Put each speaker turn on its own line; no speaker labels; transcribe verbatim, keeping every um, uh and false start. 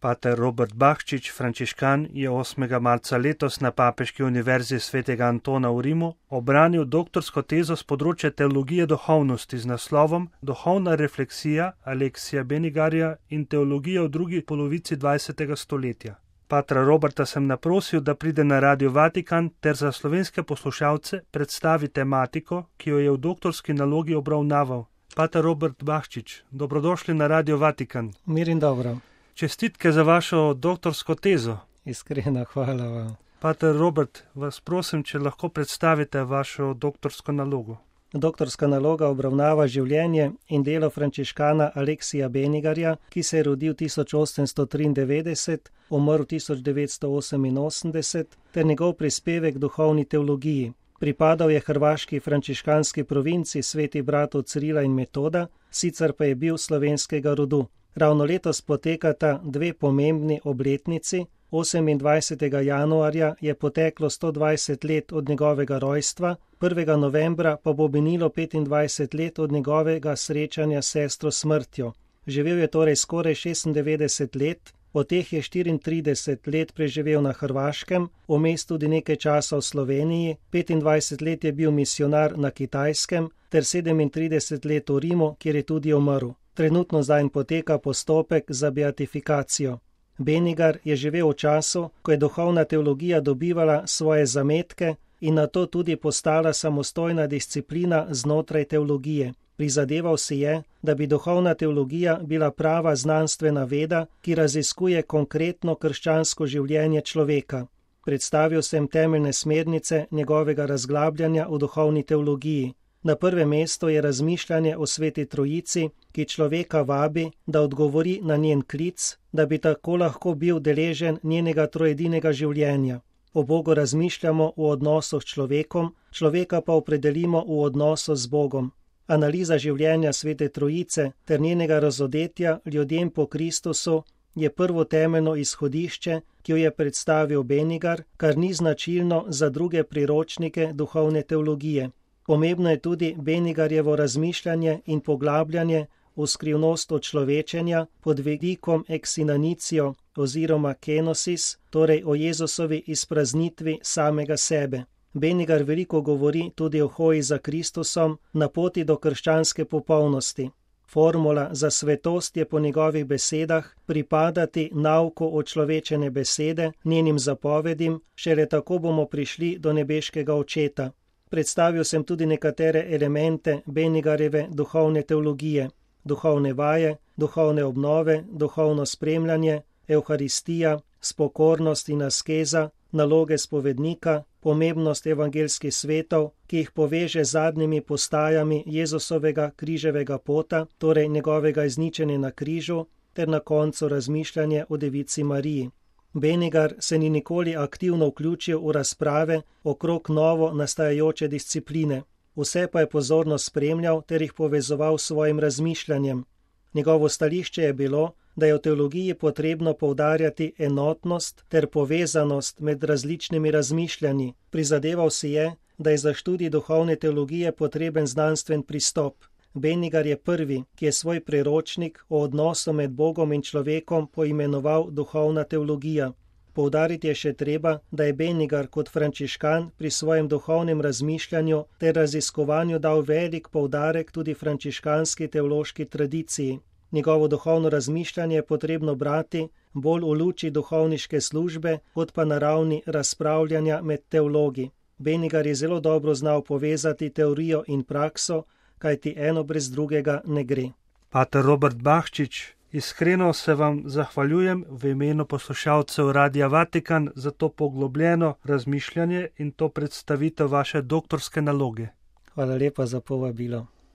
Pater Robert Bahčič, frančiškan, je osmega marca letos na Papeški univerzi svetega Antona v Rimu obranil doktorsko tezo z področja teologije duhovnosti z naslovom Duhovna refleksija Aleksija Benigarja in teologija v drugi polovici dvajsetega stoletja. Patra Roberta sem naprosil, da pride na Radio Vatikan ter za slovenske poslušalce predstavi tematiko, ki jo je v doktorski nalogi obravnaval. Pater Robert Bahčič, dobrodošli na Radio Vatikan.
Mir in dobro.
Čestitke za vašo doktorsko tezo.
Iskrena hvala vam.
Pater Robert, vas prosim, če lahko predstavite vašo doktorsko nalogo.
Doktorska naloga obravnava življenje in delo frančiškana Aleksija Benigarja, ki se je rodil tisoč osemsto triindevetdeset, umrl tisoč devetsto oseminosemdeset, ter njegov prispevek duhovni teologiji. Pripadal je hrvaški frančiškanski provinci Sveti bratov Cirila in Metoda, sicer pa je bil slovenskega rodu. Ravno letos potekata dve pomembni obletnici. osemindvajsetega januarja je poteklo sto dvajset let od njegovega rojstva, prvega novembra pa bo minilo petindvajset let od njegovega srečanja s sestro smrtjo. Živel je torej skoraj šestindevetdeset let, od teh je štiriintrideset let preživel na Hrvaškem, vmes tudi nekaj časa v Sloveniji, petindvajset let je bil misionar na Kitajskem ter sedemintrideset let v Rimu, kjer je tudi umrl. Trenutno zdaj poteka postopek za beatifikacijo. Benigar je živel v času, ko je duhovna teologija dobivala svoje zametke in nato tudi postala samostojna disciplina znotraj teologije. Prizadeval si je, da bi duhovna teologija bila prava znanstvena veda, ki raziskuje konkretno krščansko življenje človeka. Predstavil sem temeljne smernice njegovega razglabljanja v duhovni teologiji. Na prvem mestu je razmišljanje o Sveti Trojici, ki človeka vabi, da odgovori na njen klic, da bi tako lahko bil deležen njenega trojedinega življenja. O Bogu razmišljamo v odnosu s človekom, človeka pa opredelimo v odnosu z Bogom. Analiza življenja Svete Trojice ter njenega razodetja ljudem po Kristusu je prvo temeljno izhodišče, ki jo je predstavil Benigar, kar ni značilno za druge priročnike duhovne teologije. Pomembno je tudi Benigarjevo razmišljanje in poglabljanje v skrivnost očlovečenja pod vidikom eksinanicijo oziroma kenosis, torej o Jezusovi izpraznitvi samega sebe. Benigar veliko govori tudi o hoji za Kristusom na poti do krščanske popolnosti. Formula za svetost je po njegovih besedah pripadati nauku očlovečene besede, njenim zapovedim, šele tako bomo prišli do nebeškega Očeta. Predstavil sem tudi nekatere elemente Benigarjeve duhovne teologije, duhovne vaje, duhovne obnove, duhovno spremljanje, evharistija, spokornost in askeza, naloge spovednika, pomembnost evangelskih svetov, ki jih poveže z zadnjimi postajami Jezusovega križevega pota, torej njegovega izničenja na križu, ter na koncu razmišljanje o Devici Mariji. Benigar se ni nikoli aktivno vključil v razprave okrog novo nastajajoče discipline. Vse pa je pozorno spremljal ter jih povezoval s svojim razmišljanjem. Njegovo stališče je bilo, da je v teologiji potrebno poudarjati enotnost ter povezanost med različnimi razmišljanji. Prizadeval si je, da je za študij duhovne teologije potreben znanstven pristop. Benigar je prvi, ki je svoj priročnik o odnosu med Bogom in človekom poimenoval duhovna teologija. Poudariti je še treba, da je Benigar kot frančiškan pri svojem duhovnem razmišljanju ter raziskovanju dal velik poudarek tudi frančiškanski teološki tradiciji. Njegovo duhovno razmišljanje je potrebno brati bolj v luči duhovniške službe, kot pa na ravni razpravljanja med teologi. Benigar je zelo dobro znal povezati teorijo in prakso, kajti eno brez drugega ne gre.
Pater Robert Bahčič, iskreno se vam zahvaljujem v imenu poslušalcev Radia Vatikan za to poglobljeno razmišljanje in to predstavitev vaše doktorske naloge.
Hvala lepa za povabilo.